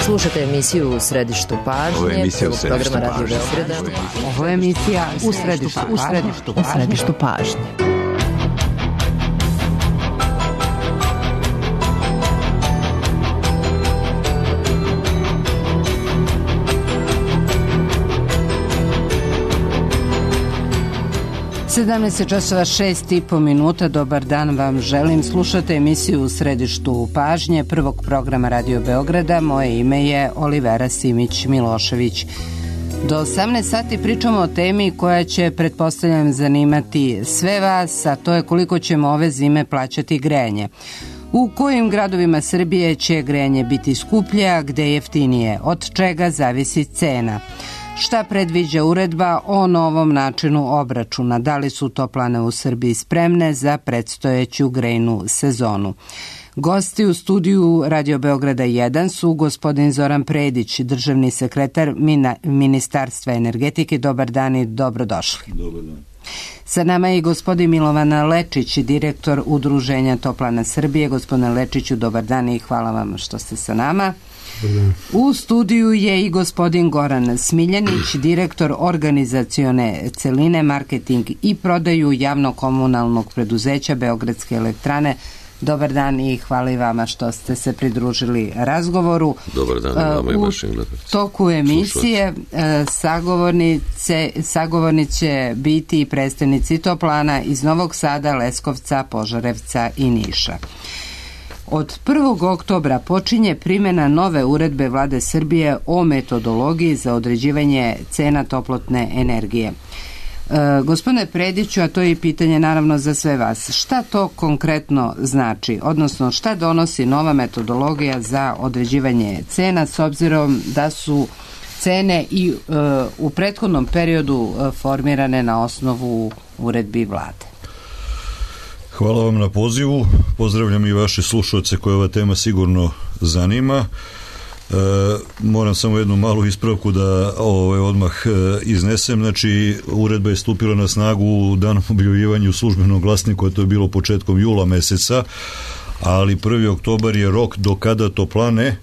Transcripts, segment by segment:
Slušate emisiju U središtu pažnje, prvog programa Radio Beograda. Ovo je emisija U središtu pažnje. časova 6:30. Dobar dan vam želim. Slušate emisiju U središtu pažnje prvog programa Radio Beograda. Moje ime je Olivera Simić-Milošević. Do 18 sati pričamo o temi koja će, pretpostavljam, zanimati sve vas, a to je koliko ćemo ove zime plaćati grejanje. U kojim gradovima Srbije će grejanje biti skuplje, a gde jeftinije? Od čega zavisi cena? Šta predviđa uredba o novom načinu obračuna? Da li su toplane u Srbiji spremne za predstojeću grejnu sezonu? Gosti u studiju Radio Beograda 1 su gospodin Zoran Predić, državni sekretar Ministarstva energetike. Dobar dan i dobrodošli. Dobar dan. Sa nama je i gospodin Milovan Lečić, direktor Udruženja Toplana Srbije. Gospodine Lečiću, dobar dan i hvala vam što ste sa nama. U studiju je i gospodin Goran Smiljanić, direktor organizacione celine, marketing i prodaju javno-komunalnog preduzeća Beogradske elektrane. Dobar dan i hvala i vama što ste se pridružili razgovoru. Dobar dan vama i vašim gledalcima. U toku emisije sagovornici će biti i predstavnici toplana iz Novog Sada, Leskovca, Požarevca i Niša. Od 1. oktobra počinje primjena nove uredbe Vlade Srbije o metodologiji za određivanje cena toplotne energije. Gospodine Prediću, a to je i pitanje naravno za sve vas, šta to konkretno znači, odnosno šta donosi nova metodologija za određivanje cena s obzirom da su cene i u prethodnom periodu formirane na osnovu uredbi Vlade? Hvala vam na pozivu, pozdravljam i vaše slušalce koje ova tema sigurno zanima. Moram samo jednu malu ispravku da odmah iznesem. Znači, uredba je stupila na snagu u danom objavljivanja u službenom glasniku, a to je bilo početkom jula meseca, ali 1. oktobar je rok do kada toplane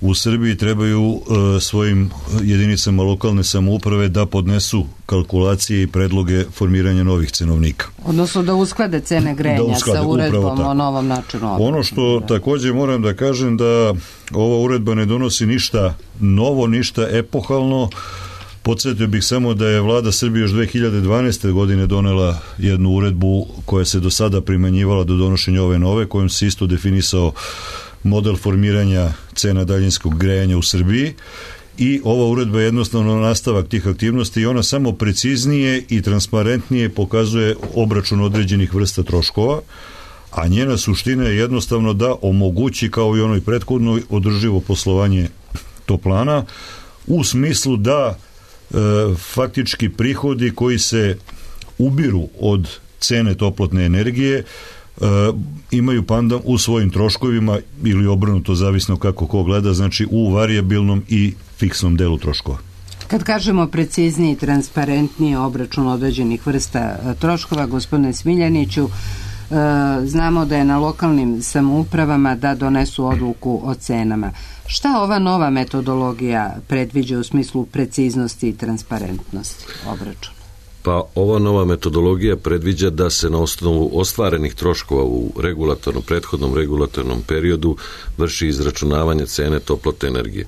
u Srbiji trebaju svojim jedinicama lokalne samouprave da podnesu kalkulacije i predloge formiranja novih cenovnika. Odnosno da usklade cene grejanja sa uredbom o novom načinu obračuna. Ono što također moram da kažem da ova uredba ne donosi ništa novo, ništa epohalno. Podsjetio bih samo da je Vlada Srbije još 2012. godine donela jednu uredbu koja se do sada primenjivala do donošenja ove nove, kojom se isto definisao model formiranja cena daljinskog grejanja u Srbiji i ova uredba je jednostavno nastavak tih aktivnosti i ona samo preciznije i transparentnije pokazuje obračun određenih vrsta troškova, a njena suština je jednostavno da omogući, kao i onoj prethodnoj, održivo poslovanje toplana u smislu da faktički prihodi koji se ubiru od cene toplotne energije imaju pandan u svojim troškovima ili obrnuto, zavisno kako ko gleda, znači u varijabilnom i fiksnom delu troškova. Kad kažemo precizniji i transparentniji obračun određenih vrsta troškova, gospodine Smiljaniću, znamo da je na lokalnim samoupravama da donesu odluku o cenama. Šta ova nova metodologija predviđa u smislu preciznosti i transparentnosti obračuna? Pa ova nova metodologija predviđa da se na osnovu ostvarenih troškova u prethodnom regulatornom periodu vrši izračunavanje cene toplotne energije.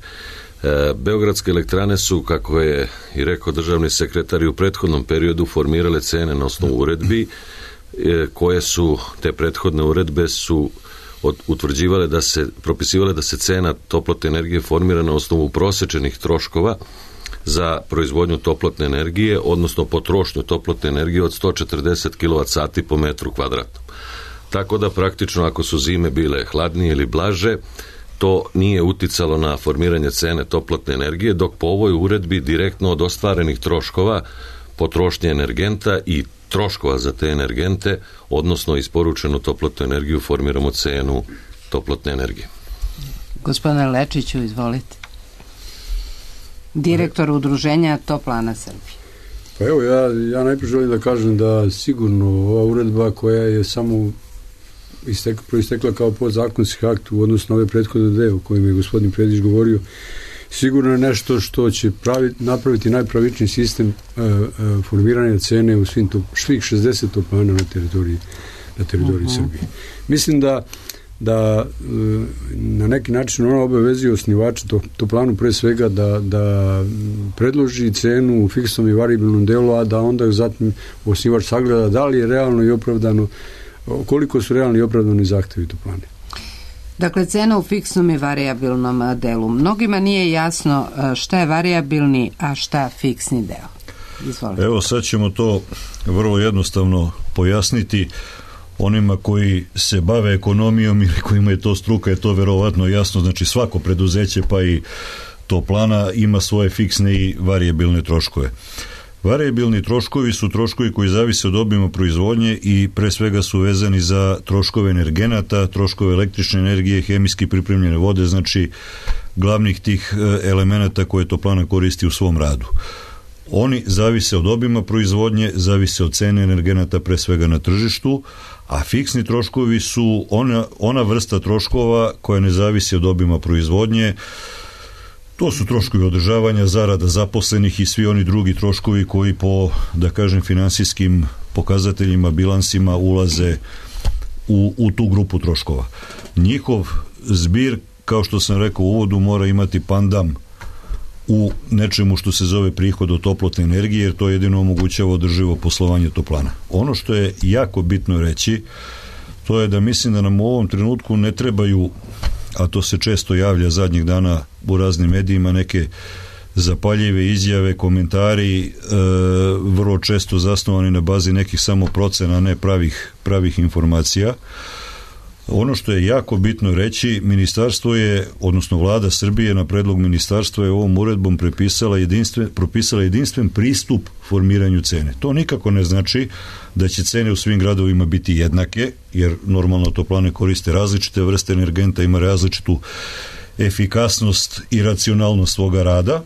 Beogradske elektrane su, kako je i rekao državni sekretar, u prethodnom periodu formirale cene na osnovu uredbi, koje su, te prethodne uredbe su utvrđivale propisivale da se cena toplotne energije formira na osnovu prosečenih troškova za proizvodnju toplotne energije, odnosno potrošnju toplotne energije od 140 kWh po metru kvadratnom. Tako da praktično ako su zime bile hladnije ili blaže, to nije uticalo na formiranje cene toplotne energije, dok po ovoj uredbi direktno od ostvarenih troškova potrošnje energenta i troškova za te energente, odnosno isporučenu toplotnu energiju, formiramo cenu toplotne energije. Gospodine Lečiću, izvolite. Direktor Udruženja Toplana Srbije. Pa evo, ja najprije želim da kažem da sigurno ova uredba koja je samo proistekla kao podzakonski akt u odnosu na ove prethodne dve o kojima je gospodin Predić govorio, sigurno je nešto što će napraviti najpravičniji sistem formiranja cene u svih 60 toplana na teritoriji Srbije. Mislim da na neki način ona obavezuje osnivača toplanu pre svega da predloži cenu u fiksnom i variabilnom delu, a da onda zatim osnivač sagleda da li je realno i opravdano, koliko su realni i opravdani zahtevi toplane. Dakle, cena u fiksnom i variabilnom delu. Mnogima nije jasno šta je variabilni, a šta fiksni deo. Izvolite. Evo, sad ćemo to vrlo jednostavno pojasniti. Onima koji se bave ekonomijom ili kojima je to struka, je to verovatno jasno. Znači, svako preduzeće, pa i toplana, ima svoje fiksne i variabilne troškove. Variabilni troškovi su troškovi koji zavise od obima proizvodnje i pre svega su vezani za troškove energenata, troškove električne energije, hemijski pripremljene vode, znači glavnih tih elemenata koje toplana koristi u svom radu. Oni zavise od obima proizvodnje, zavise od cene energenata pre svega na tržištu, a fiksni troškovi su ona vrsta troškova koja ne zavisi od obima proizvodnje. To su troškovi održavanja, zarada zaposlenih i svi oni drugi troškovi koji po, da kažem, finansijskim pokazateljima, bilansima ulaze u tu grupu troškova. Njihov zbir, kao što sam rekao u uvodu, mora imati pandam u nečemu što se zove prihod od toplotne energije, jer to jedino omogućava održivo poslovanje toplana. Ono što je jako bitno reći, to je da mislim da nam u ovom trenutku ne trebaju, a to se često javlja zadnjih dana u raznim medijima, neke zapaljive izjave, komentari, vrlo često zasnovani na bazi nekih samo procena, ne pravih informacija. Ono što je jako bitno reći, ministarstvo je, odnosno vlada Srbije na predlog ministarstva je ovom uredbom propisala jedinstven pristup formiranju cene. To nikako ne znači da će cene u svim gradovima biti jednake, jer normalno toplane koriste različite vrste energenta, ima različitu efikasnost i racionalnost svoga rada.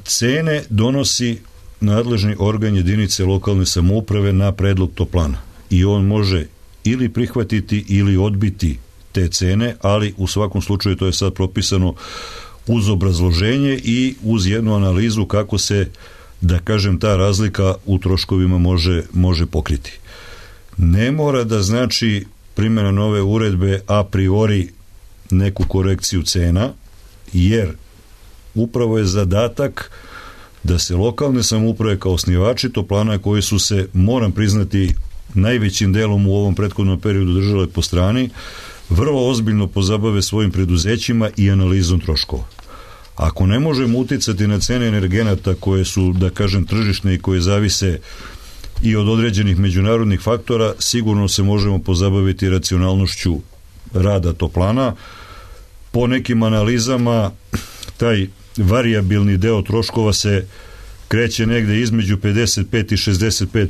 Cene donosi nadležni organ jedinice lokalne samouprave na predlog toplana i on može ili prihvatiti ili odbiti te cene, ali u svakom slučaju to je sad propisano uz obrazloženje i uz jednu analizu kako se, da kažem, ta razlika u troškovima može pokriti. Ne mora da znači primjena nove uredbe a priori neku korekciju cena, jer upravo je zadatak da se lokalne samouprave kao osnivači toplana koji su se, moram priznati, najvećim delom u ovom prethodnom periodu držale po strani, vrlo ozbiljno pozabave svojim preduzećima i analizom troškova. Ako ne možemo uticati na cene energenata koje su, da kažem, tržišne i koje zavise i od određenih međunarodnih faktora, sigurno se možemo pozabaviti racionalnošću rada toplana. Po nekim analizama taj variabilni deo troškova se kreće negde između 55 i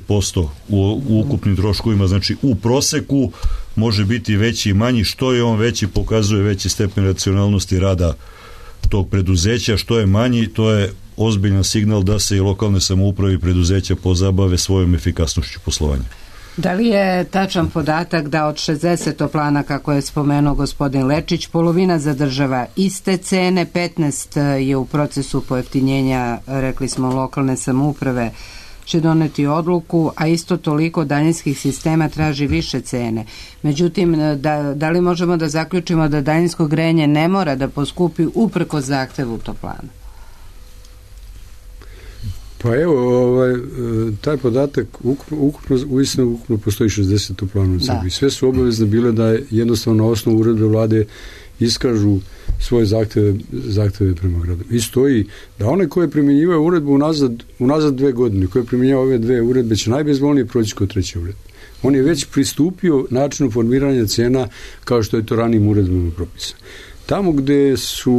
65% u ukupnim troškovima, znači u proseku može biti veći i manji, što je on veći pokazuje veći stepen racionalnosti rada tog preduzeća, što je manji to je ozbiljan signal da se i lokalne samouprave i preduzeća pozabave svojom efikasnošću poslovanja. Da li je tačan podatak da od 60 toplana, kako je spomenuo gospodin Lečić, polovina zadržava iste cene, 15 je u procesu pojeftinjenja, rekli smo, lokalne samouprave će doneti odluku, a isto toliko daljinskih sistema traži više cene. Međutim, da li možemo da zaključimo da daljinsko grejanje ne mora da poskupi uprkos zahtevu toplana? Pa evo, taj podatak ukupno postoji 60 toplana u Srbiji. Sve su obavezne bile da jednostavno na osnovu uredbe vlade iskažu svoje zahteve prema gradu. I stoji da one koje primjenjivaju uredbu unazad 2 godine, koje primjenjavaju ove 2 uredbe, će najbezbolnije proći kod 3. uredbe. On je već pristupio načinu formiranja cena kao što je to ranijim uredbama propisano. Tamo gde su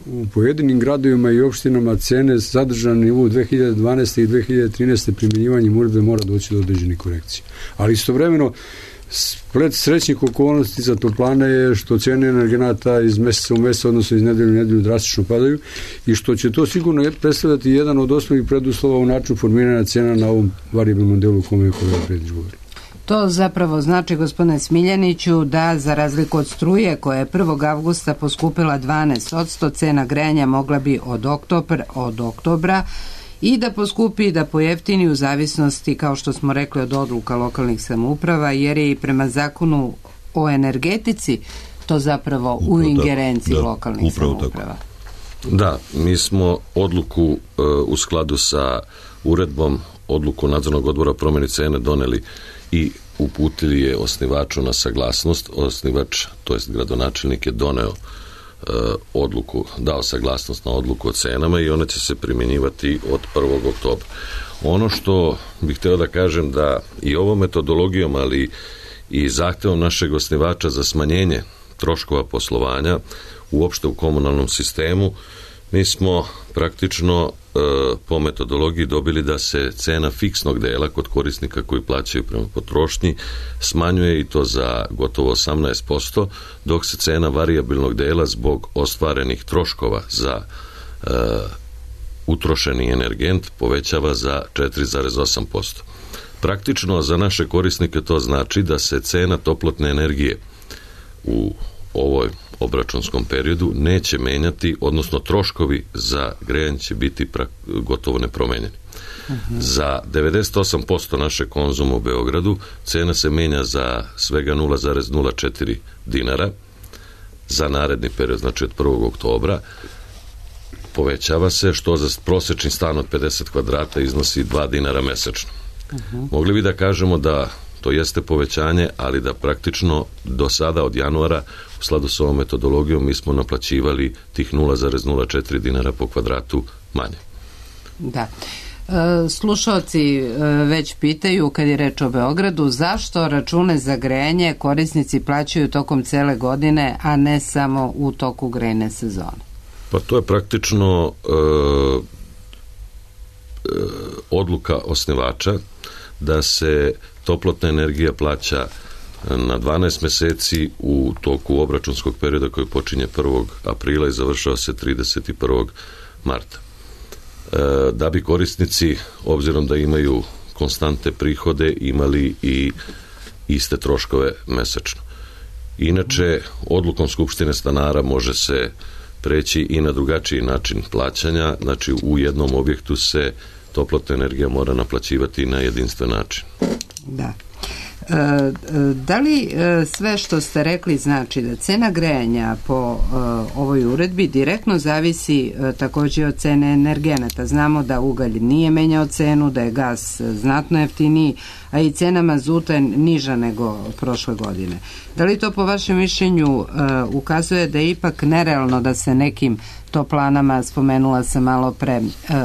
u pojedinim gradovima i opštinama cene zadržane na nivou 2012. i 2013. primjenjivanjem uredbe mora doći do određenih korekcija. Ali istovremeno splet srećnih okolnosti za toplane je što cene energenata iz meseca u mesec, odnosno iz nedelju u nedelju drastično padaju i što će to sigurno predstavljati jedan od osnovnih preduslova u načinu formiranja cena na ovom variabilnom delu o kome je kolega Predić govori. To zapravo znači, gospodine Smiljaniću, da za razliku od struje koja je 1. avgusta poskupila 12%, cena grejanja mogla bi od oktobra i da poskupi i da pojeftini u zavisnosti, kao što smo rekli, od odluka lokalnih samouprava, jer je i prema zakonu o energetici to zapravo u ingerenciji lokalnih samouprava. Da, mi smo odluku u skladu sa uredbom, odluku nadzornog odbora promjeni cene doneli i uputili je osnivaču na saglasnost. Osnivač, to jest gradonačelnik, je doneo odluku, dao saglasnost na odluku o cenama i ona će se primjenjivati od 1. oktobra. Ono što bih htio da kažem, da i ovom metodologijom, ali i zahtevom našeg osnivača za smanjenje troškova poslovanja uopšte u komunalnom sistemu, mi smo praktično po metodologiji dobili da se cena fiksnog dela kod korisnika koji plaćaju prema potrošnji smanjuje, i to za gotovo 18%, dok se cena varijabilnog dela zbog ostvarenih troškova za utrošeni energent povećava za 4,8%. Praktično za naše korisnike to znači da se cena toplotne energije u ovoj obračunskom periodu neće menjati, odnosno troškovi za grejanje će biti gotovo nepromenjeni. Za 98% naše konzuma u Beogradu cena se menja za svega 0,04 dinara za naredni period, znači od 1. oktobra. Povećava se, što za prosječni stan od 50 kvadrata iznosi 2 dinara mesečno. Mogli bi da kažemo da to jeste povećanje, ali da praktično do sada od januara u skladu s ovom metodologijom mi smo naplaćivali tih 0,04 dinara po kvadratu manje. Da. Slušalci već pitaju, kad je reč o Beogradu, zašto račune za grejanje korisnici plaćaju tokom cele godine, a ne samo u toku grejne sezone? Pa to je praktično odluka osnivača da se toplotna energija plaća na 12 meseci u toku obračunskog perioda koji počinje 1. aprila i završava se 31. marta. Da bi korisnici, obzirom da imaju konstantne prihode, imali i iste troškove mesečno. Inače, odlukom Skupštine stanara može se preći i na drugačiji način plaćanja, znači u jednom objektu se toplotna energija mora naplaćivati na jedinstven način. Da. Da li sve što ste rekli znači da cena grejanja po ovoj uredbi direktno zavisi također od cene energenata? Znamo da ugalj nije menjao cenu, da je gas znatno jeftiniji, a i cena mazuta je niža nego prošle godine. Da li to po vašem mišljenju ukazuje da je ipak nerealno da se nekim toplanama, spomenula sam malo pre,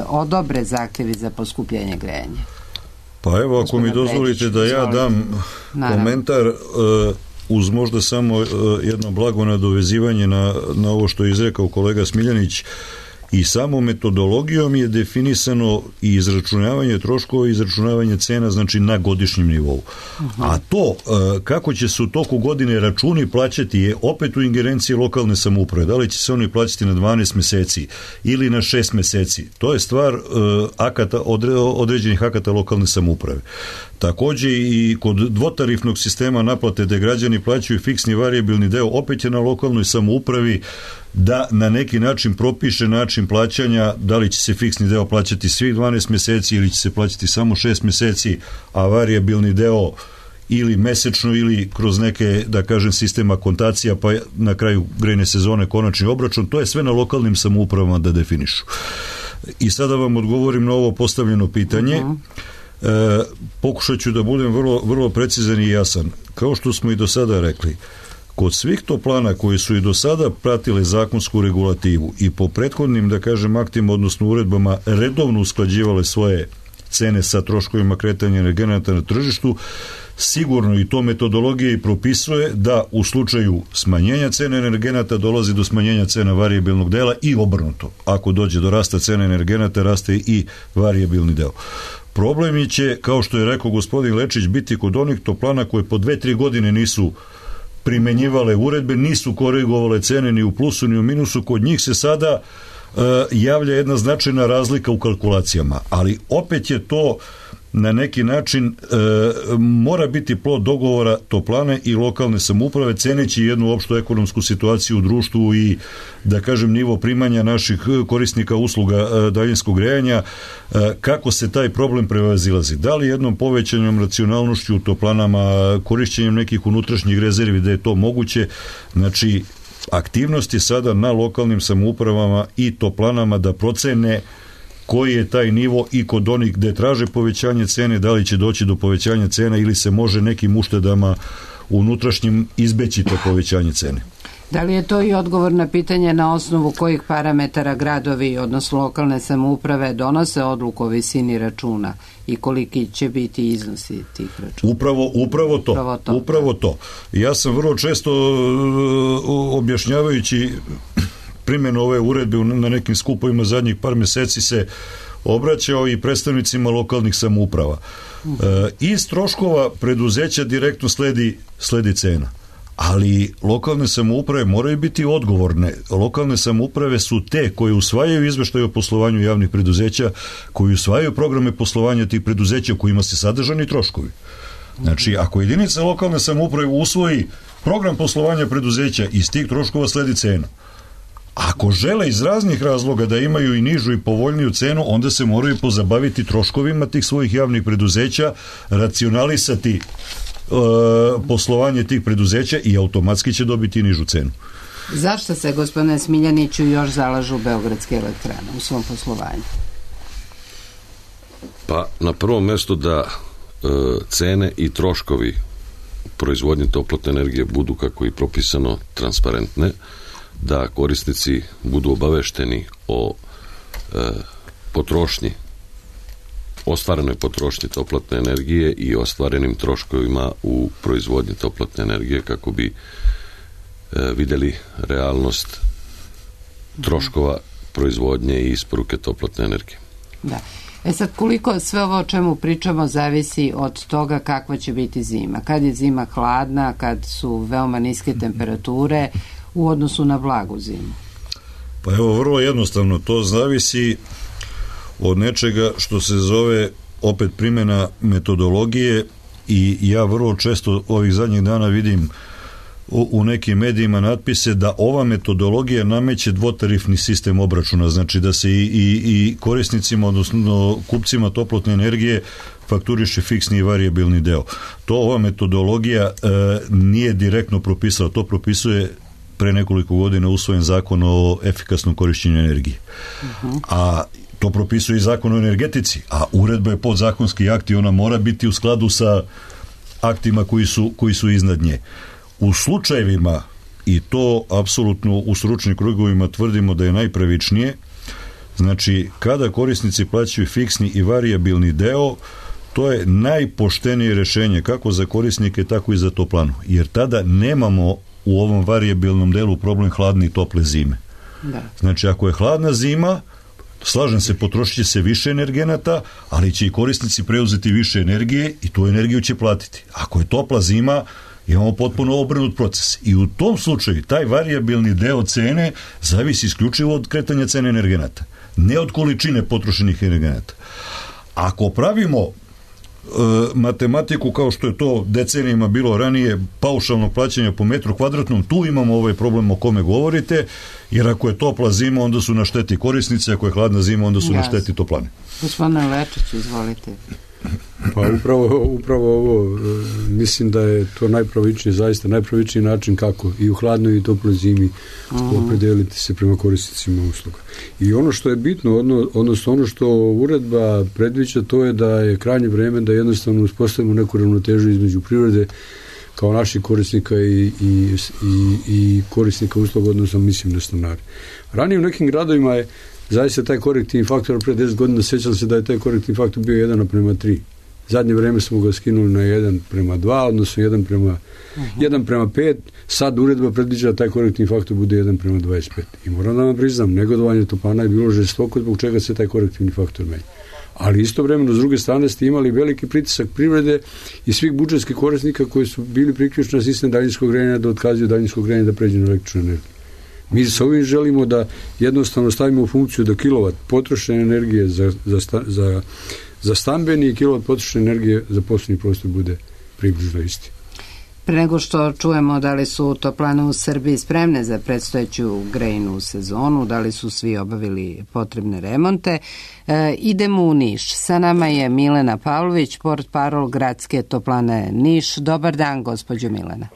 odobre zahtjevi za poskupljenje grejanja? Pa evo, ako mi dozvolite da ja dam komentar uz možda samo jedno blago nadovezivanje na ovo što je izrekao kolega Smiljanić. I samo metodologijom je definisano i izračunavanje troškova i izračunavanje cena, znači na godišnjem nivou. A to kako će se u toku godine računi plaćati je opet u ingerenciji lokalne samouprave. Da li će se oni plaćati na 12 meseci ili na 6 meseci, to je stvar određenih akata lokalne samouprave. Također i kod dvotarifnog sistema naplate da građani plaćaju fiksni varijabilni deo, opet je na lokalnoj samoupravi da na neki način propiše način plaćanja, da li će se fiksni deo plaćati svih 12 meseci ili će se plaćati samo 6 meseci, a varijabilni deo ili mesečno ili kroz neke, da kažem, sistema kontacija, pa na kraju grejne sezone konačni obračun. To je sve na lokalnim samoupravama da definišu. I sada vam odgovorim na ovo postavljeno pitanje. Pokušat ću da budem vrlo precizan i jasan. Kao što smo i do sada rekli, kod svih toplana koji su i do sada pratile zakonsku regulativu i po prethodnim, da kažem, aktima, odnosno uredbama, redovno usklađivale svoje cene sa troškovima kretanja energenata na tržištu, sigurno i to metodologija i propisuje da u slučaju smanjenja cene energenata dolazi do smanjenja cena varijabilnog dela i obrnuto. Ako dođe do rasta cene energenata, raste i varijabilni deo. Problemi će, kao što je rekao gospodin Lečić, biti kod onih toplana koje po 2-3 godine nisu primenjivale uredbe, nisu korigovale cene ni u plusu ni u minusu. Kod njih se sada javlja jedna značajna razlika u kalkulacijama, ali opet je to na neki način mora biti plod dogovora toplane i lokalne samouprave, ceneći jednu opštu ekonomsku situaciju u društvu i, da kažem, nivo primanja naših korisnika usluga daljinskog grejanja, kako se taj problem prevazilazi. Da li jednom povećanjem racionalnošću u toplanama, korišćenjem nekih unutrašnjih rezervi, da je to moguće. Znači, aktivnost je sada na lokalnim samoupravama i toplanama da procene koji je taj nivo i kod onih gde traže povećanje cene, da li će doći do povećanja cena ili se može nekim uštedama unutrašnjim izbeći to povećanje cene. Da li je to i odgovor na pitanje na osnovu kojih parametara gradovi, odnosno lokalne samouprave, donose odluku o visini računa i koliki će biti iznosi tih računa? Upravo to. Ja sam vrlo često objašnjavajući primjenu ove uredbe na nekim skupovima zadnjih par meseci se obraćao i predstavnicima lokalnih samouprava. Iz troškova preduzeća direktno sledi cena. Ali lokalne samouprave moraju biti odgovorne. Lokalne samouprave su te koje usvajaju izveštaje o poslovanju javnih preduzeća, koji usvajaju programe poslovanja tih preduzeća u kojima se sadržani troškovi. Znači, ako jedinica lokalne samouprave usvoji program poslovanja preduzeća, iz tih troškova sledi cena. Ako žele iz raznih razloga da imaju i nižu i povoljniju cenu, onda se moraju pozabaviti troškovima tih svojih javnih preduzeća, racionalisati poslovanje tih preduzeća i automatski će dobiti nižu cenu. Zašto se, gospodine Smiljaniću, još zalažu Beogradske elektrane u svom poslovanju? Pa, na prvom mestu da cene i troškovi proizvodnje toplotne energije budu, kako i propisano, transparentne, da korisnici budu obavešteni o potrošnji, ostvarenoj potrošnji toplotne energije i ostvarenim troškovima u proizvodnji toplotne energije, kako bi vidjeli realnost troškova proizvodnje i isporuke toplotne energije. Da. Sad, koliko sve ovo o čemu pričamo zavisi od toga kakva će biti zima? Kad je zima hladna, kad su veoma niske temperature u odnosu na blagu zimu? Pa evo, vrlo jednostavno, to zavisi od nečega što se zove opet primjena metodologije i ja vrlo često ovih zadnjih dana vidim u nekim medijima natpise da ova metodologija nameće dvotarifni sistem obračuna, znači da se i korisnicima, odnosno kupcima toplotne energije fakturiše fiksni i varijabilni deo. To ova metodologija nije direktno propisala, to propisuje pre nekoliko godina usvojen zakon o efikasnom korišćenju energije. A to propisuje i zakon o energetici, a uredba je podzakonski akt i ona mora biti u skladu sa aktima koji su iznad nje. U slučajevima, i to apsolutno u stručnim krugovima tvrdimo da je najpravičnije, znači kada korisnici plaćaju fiksni i varijabilni deo, to je najpoštenije rešenje kako za korisnike, tako i za toplanu, jer tada nemamo u ovom varijabilnom delu problem hladne i tople zime. Da. Znači, ako je hladna zima, slažem se, potrošit će se više energenata, ali će i korisnici preuzeti više energije i tu energiju će platiti. Ako je topla zima, imamo potpuno obrnut proces. I u tom slučaju taj varijabilni deo cene zavisi isključivo od kretanja cene energenata, ne od količine potrošenih energenata. Ako pravimo matematiku kao što je to decenijima bilo ranije, paušalnog plaćanja po metru kvadratnom, tu imamo ovaj problem o kome govorite, jer ako je topla zima, onda su na šteti korisnice, ako je hladna zima, onda su na šteti toplane. Gospodine Lečić, izvolite. Pa upravo ovo, mislim da je to najpravičniji, zaista najpravičniji način kako i u hladnoj i toploj zimi opredeliti se prema korisnicima usluga. I ono što je bitno, odnosno ono što uredba predviđa, to je da je krajnje vreme da jednostavno uspostavimo neku ravnotežu između privrede kao naših korisnika i korisnika usluga, odnosno mislim na stanare. Ranije u nekim gradovima je zaista taj korektivni faktor, pre 10 godina sećam se da je taj korektivni faktor bio 1:3. Zadnje vreme smo ga skinuli na 1:2, odnosno 1:5. Sad uredba predviđa da taj korektivni faktor bude 1:25. I moram da vam priznam, negodovanje toplana je bilo žestoko zbog čega se taj korektivni faktor menja. Ali istovremeno, s druge strane, ste imali veliki pritisak privrede i svih budžetskih korisnika koji su bili priključeni na sistem daljinskog grejanja da otkazuju daljinsko grejanje da pređu na električnu energiju. Mi s ovim želimo da jednostavno stavimo u funkciju da kilovat potrošene energije za stambeni i kilovat potrošne energije za poslovni prostor bude približno isti. Pre nego što čujemo da li su toplane u Srbiji spremne za predstojeću grejnu sezonu, da li su svi obavili potrebne remonte, idemo u Niš. Sa nama je Milena Pavlović, portparol Gradske toplane Niš. Dobar dan, gospođo Milena.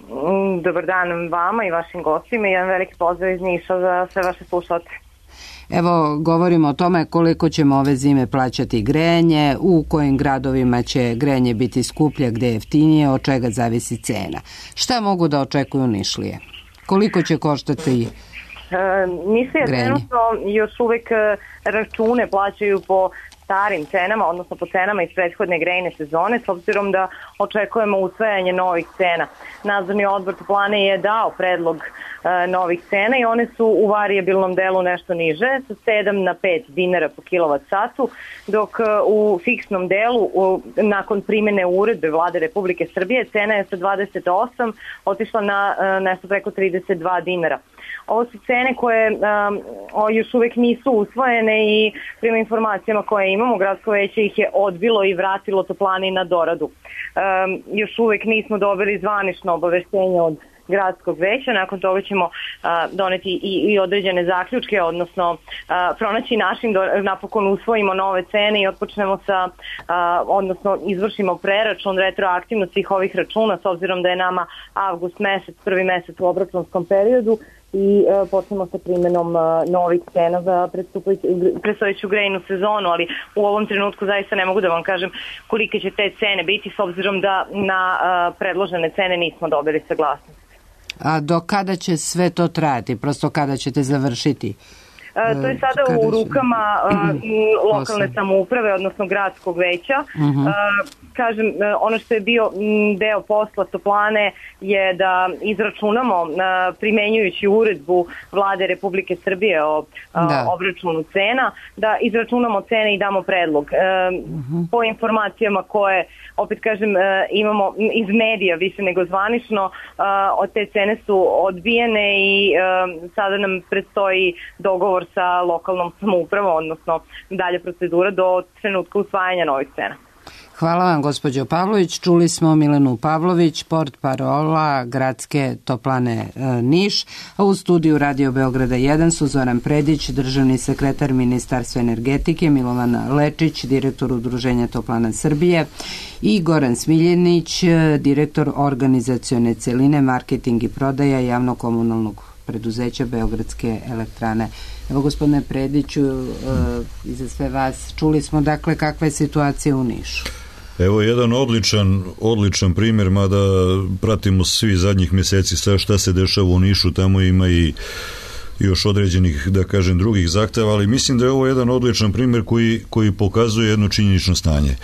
Dobar dan vama i vašim gostima i jedan veliki pozdrav iz Niša za sve vaše slušalce. Evo, govorimo o tome koliko ćemo ove zime plaćati grejanje, u kojim gradovima će grejanje biti skuplje, gde je jeftinije, od čega zavisi cena. Šta mogu da očekuju Nišlije? Koliko će koštati Nišlije trenutno još uvek račune plaćaju po starim cenama, odnosno po cenama iz prethodne grejne sezone, s obzirom da očekujemo usvajanje novih cena. Nadzorni odbor toplane je dao predlog novih cena i one su u varijabilnom delu nešto niže, sa 7 na 5 dinara po kilovat satu, dok u fiksnom delu, nakon primjene uredbe Vlade Republike Srbije, cena je sa 28 otišla na nešto preko 32 dinara. Ovo su cene koje još uvek nisu usvojene i prema informacijama koje imamo, gradsko veće ih je odbilo i vratilo toplani na doradu. Još uvek nismo dobili zvanično obaveštenje od gradskog veća, nakon toga ćemo doneti i određene zaključke, odnosno pronaći način da napokon usvojimo nove cene i otpočnemo sa, odnosno izvršimo preračun retroaktivno svih ovih računa, s obzirom da je nama avgust mesec, prvi mesec u obračunskom periodu, i počnemo sa primjenom novih cena za predstojeću grejnu sezonu, ali u ovom trenutku zaista ne mogu da vam kažem kolike će te cene biti, s obzirom da na predložene cene nismo dobili saglasnost. A do kada će sve to trajati? Prosto kada ćete završiti? To je sada u rukama lokalne samouprave, odnosno gradskog veća. Kažem, ono što je bio deo posla toplane je da izračunamo, primenjujući uredbu Vlade Republike Srbije o obračunu cena, da izračunamo cene i damo predlog. Po informacijama koje, opet kažem, imamo iz medija više nego zvanično, od te cene su odbijene i sada nam predstoji dogovor sa lokalnom samoupravom, odnosno dalje procedura do trenutka usvajanja novih cena. Hvala vam, gospođo Pavlović. Čuli smo Milenu Pavlović, portparola Gradske toplane Niš, a u studiju Radio Beograda 1 su Zoran Predić, državni sekretar Ministarstva energetike, Milovan Lečić, direktor Udruženja toplana Srbije, i Goran Smiljenić, direktor organizacione celine, marketing i prodaja javno-komunalnog preduzeća Beogradske elektrane. Evo, gospodine Prediću, i za sve vas, čuli smo dakle kakva je situacija u Nišu. Evo jedan odličan primjer, mada pratimo svi zadnjih mjeseci šta se dešava u Nišu, tamo ima i još određenih, da kažem, drugih zahteva, ali mislim da je ovo jedan odličan primjer koji pokazuje jedno činjenično stanje.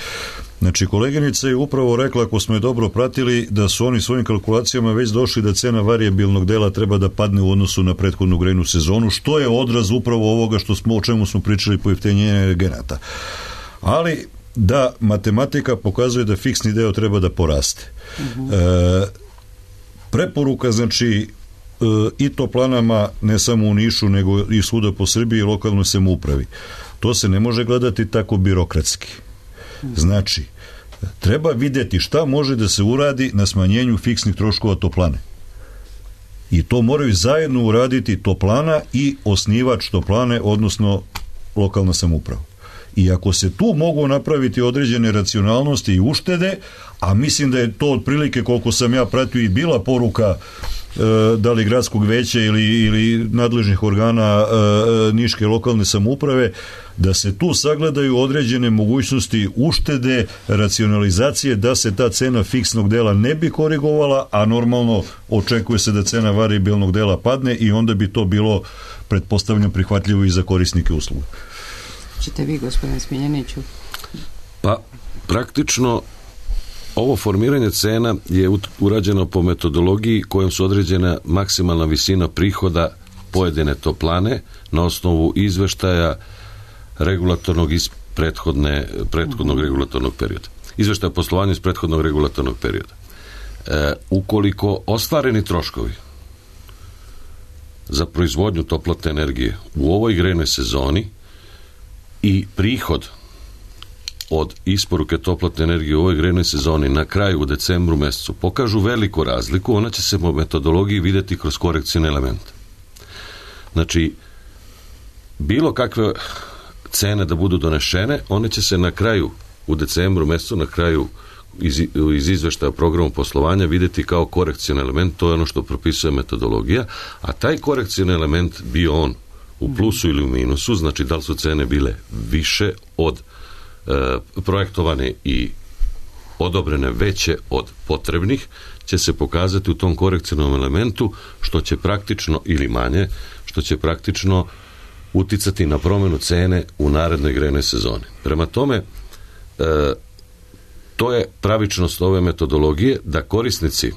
Znači, koleginica je upravo rekla, ako smo je dobro pratili, da su oni svojim kalkulacijama već došli da cena varijabilnog dela treba da padne u odnosu na prethodnu grejnu sezonu, što je odraz upravo ovoga o čemu smo pričali, pojeftinjenja energenata. Ali da matematika pokazuje da fiksni deo treba da poraste. Preporuka, znači, i toplanama, ne samo u Nišu, nego i svuda po Srbiji i lokalnoj samoupravi. To se ne može gledati tako birokratski. Znači, treba vidjeti šta može da se uradi na smanjenju fiksnih troškova toplane. I to moraju zajedno uraditi toplana i osnivač toplane, odnosno lokalna samouprava. I ako se tu mogu napraviti određene racionalnosti i uštede, a mislim da je to otprilike, koliko sam ja pratio, i bila poruka da li gradskog veća ili nadležnih organa niške lokalne samouprave, da se tu sagledaju određene mogućnosti uštede, racionalizacije, da se ta cena fiksnog dela ne bi korigovala, a normalno očekuje se da cena varijabilnog dela padne i onda bi to bilo, pretpostavljam, prihvatljivo i za korisnike usluga. Čite vi, gospodine Smiljeniću? Pa, praktično ovo formiranje cena je urađeno po metodologiji kojom su određena maksimalna visina prihoda pojedine toplane na osnovu izveštaja regulatornog iz prethodnog regulatornog perioda. Izveštaja poslovanja iz prethodnog regulatornog perioda. Ukoliko ostvareni troškovi za proizvodnju toplotne energije u ovoj grejnoj sezoni i prihod od isporuke toplotne energije u ovoj grejnoj sezoni na kraju u decembru mesecu pokažu veliku razliku, ona će se po metodologiji vidjeti kroz korekcijne elemente. Znači, bilo kakve cene da budu donešene, one će se na kraju u decembru mesecu, na kraju iz izveštaja o programu poslovanja vidjeti kao korekcijni element, to je ono što propisuje metodologija, a taj korekcijni element bio on u plusu ili u minusu, znači da li su cene bile više od projektovane i odobrene veće od potrebnih, će se pokazati u tom korekcijnom elementu, što će praktično ili manje, što će praktično uticati na promjenu cene u narednoj grejnoj sezoni. Prema tome, to je pravičnost ove metodologije, da korisnici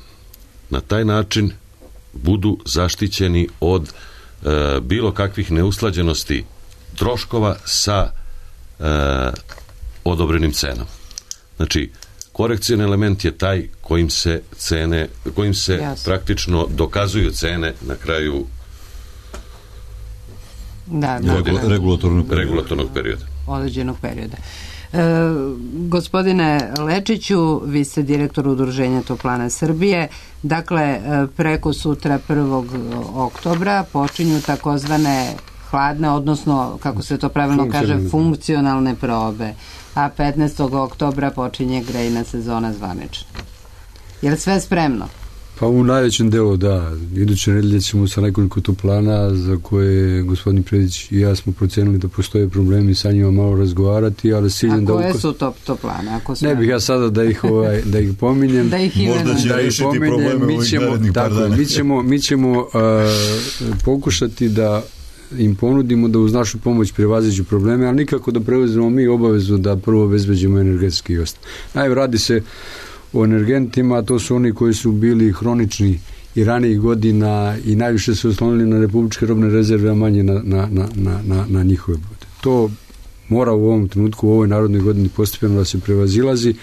na taj način budu zaštićeni od bilo kakvih neusklađenosti troškova sa odobrenim cenama. Znači, korekcijni element je taj kojim se praktično dokazuju cene na kraju regulatornog perioda. Određenog perioda. Gospodine Lečiću, vi ste direktor Udruženja Toplana Srbije. Dakle, preko sutra 1. oktobra počinju takozvane hladne, odnosno, kako se to pravilno kaže, funkcionalne probe. A 15. oktobra počinje grejna sezona zvanično. Je li sve spremno? Pa u najvećem delu, da. Iduće nedelje ćemo sa nekoliko toplana za koje gospodin Predić i ja smo procenili da postoje problemi, sa njima malo razgovarati, ali ciljem da... A koje su toplane? Ne bih ja sada da ih pominjem. Možda će rešiti probleme ovih narednih par dana. Mi ćemo pokušati da im ponudimo da uz našu pomoć prevaziđu probleme, ali nikako da preuzmemo mi obavezu da prvo obezbeđujemo energetski i ostalo. Radi se o energentima, to su oni koji su bili hronični i ranijih godina i najviše su oslonili na republičke robne rezerve, a manje na njihove bude. To mora u ovom trenutku, u ovoj narodnoj godini postepeno da se prevazilazi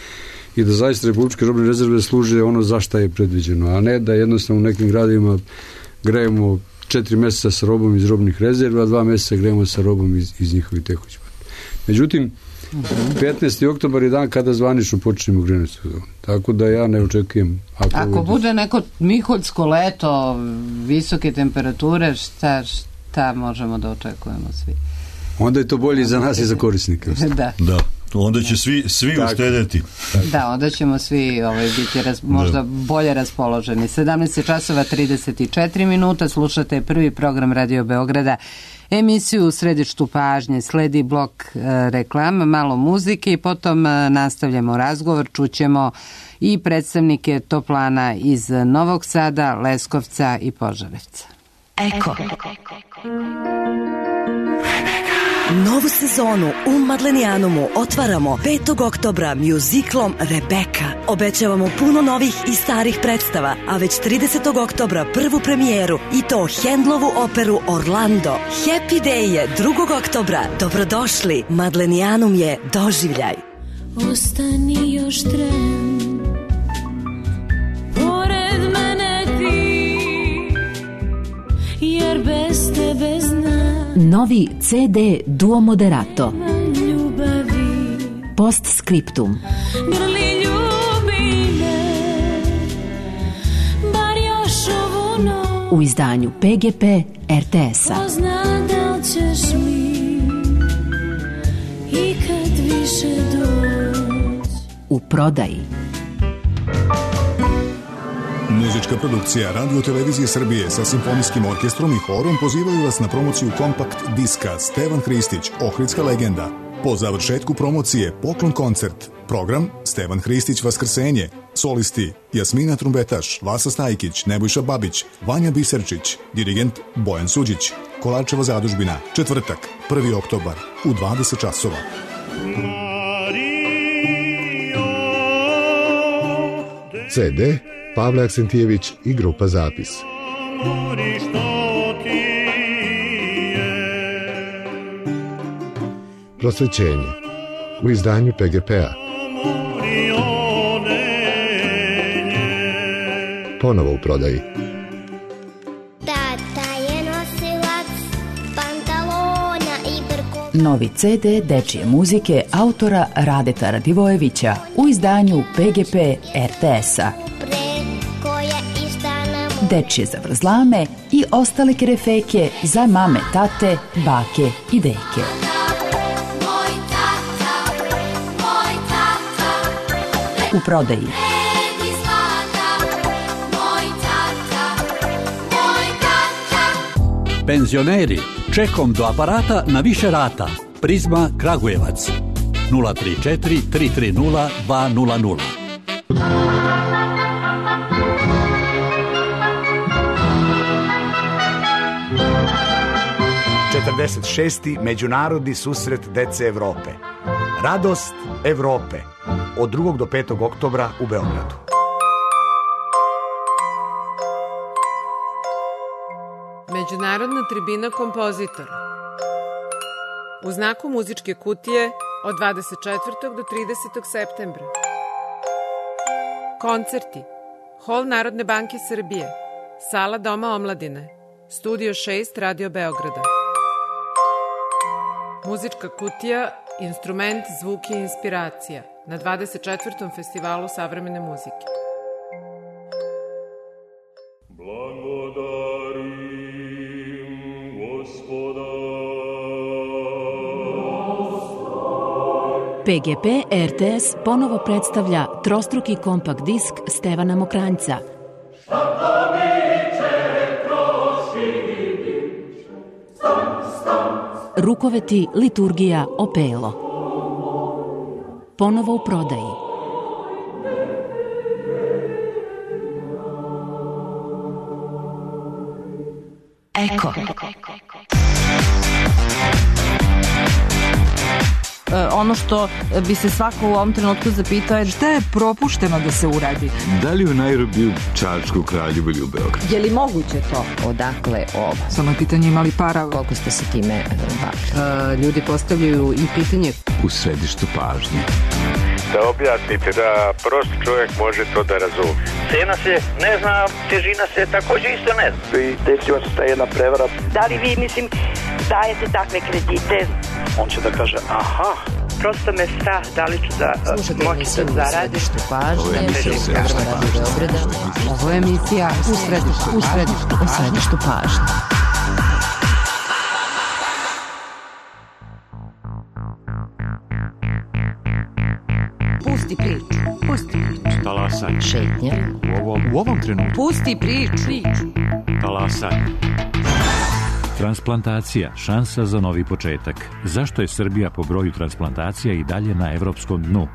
i da zaista republičke robne rezerve služe ono za šta je predviđeno, a ne da jednostavno u nekim gradovima grejemo 4 mjeseca sa robom iz robnih rezerva, a 2 mjeseca grejemo sa robom iz njihovih tekućih. Međutim, 15. oktobar je dan kada zvanično počnemo grejnu sezonu. Tako da ja ne očekujem. Ako bude neko miholjsko leto, visoke temperature, šta možemo da očekujemo svi? Onda je to bolje za nas i za korisnike. Da. Onda će svi uštedeti. Da, onda ćemo svi biti možda bolje raspoloženi. 17:34, slušate prvi program Radio Beograda, emisiju u središtu pažnje, sledi blok reklama, malo muzike i potom nastavljamo razgovor, čućemo i predstavnike toplana iz Novog Sada, Leskovca i Požarevca. Eko. Novu sezonu u Madlenijanumu otvaramo 5. oktobra mjuziklom Rebeka. Obećavamo puno novih i starih predstava, a već 30. oktobra prvu premijeru i to Handlovu operu Orlando. Happy Day je 2. oktobra. Dobrodošli, Madlenijanum je doživljaj. Ostani još tren, pored mene ti, jer bez tebe znam. Novi CD Duo Moderato. Postscriptum. Grli ljubi me, bar još ovu noć. U izdanju PGP RTS-a. Ko zna da li ćeš mi ikad više doći. U prodaji. Muzička produkcija Radio Televizije Srbije sa simfonijskim orkestrom i horom pozivaju vas na promociju kompakt diska Stevan Hristić, Ohridska legenda. Po završetku promocije poklon koncert. Program Stevan Hristić Vaskrsenje. Solisti Jasmina Trumbetaš, Vasa Stajkić, Nebojša Babić, Vanja Biserčić, dirigent Bojan Suđić. Kolarčeva zadužbina. Četvrtak, 1. oktobar u 20 časova. CD Pavle Aksentijević i grupa Zapis. Prosvećenje u izdanju PGP-a. Ponovo u prodaji. Tata je nosilac pantalona i brkova. Novi CD dečije muzike autora Radeta Radivojevića u izdanju PGP RTS-a. Dečije zavrzlame i ostale kerefeke za mame, tate, bake i deke. U prodaji. Penzioneri, čekom do aparata na više rata. Prizma Kragujevac 034 330 200. Šesti Međunarodni susret dece Evrope. Radost Evrope od 2. do 5. oktobra u Beogradu. Međunarodna tribina kompozitora. U znaku muzičke kutije od 24. do 30. septembra. Koncerti. Hol Narodne banke Srbije. Sala Doma omladine. Studio 6 Radio Beograda. Muzička kutija, instrument, zvuk i inspiracija na 24. festivalu savremene muzike. PGP RTS ponovo predstavlja trostruki kompakt disk Stevana Mokranjca. Rukoveti, liturgija, opelo. Ponovo u prodaji. Eko. Ono što bi se svako u ovom trenutku zapitao je šta je propušteno da se uradi. Da li u Nairobiju, Čačku, Kraljevu ili u Beogradu? Je li moguće to? Odakle ovo? Samo je pitanje imali para. Koliko ste se time bavili? Ljudi postavljaju i pitanje. U središtu pažnje. Da objasnite da prost čovjek može to da razumije. Cena se ne zna, težina se također isto ne zna. I desila se ta jedna prevara. Da li vi, dajete takve kredite? On će da kaže, aha. Prosto me strah, da li ću da moći da zaradim. Ovo je emisija u središtu pažnje. Pusti priču. Talasanje. Šetnja. U ovom trenutku. Pusti priču. Talasanje. Transplantacija, šansa za novi početak. Zašto je Srbija po broju transplantacija i dalje na evropskom dnu?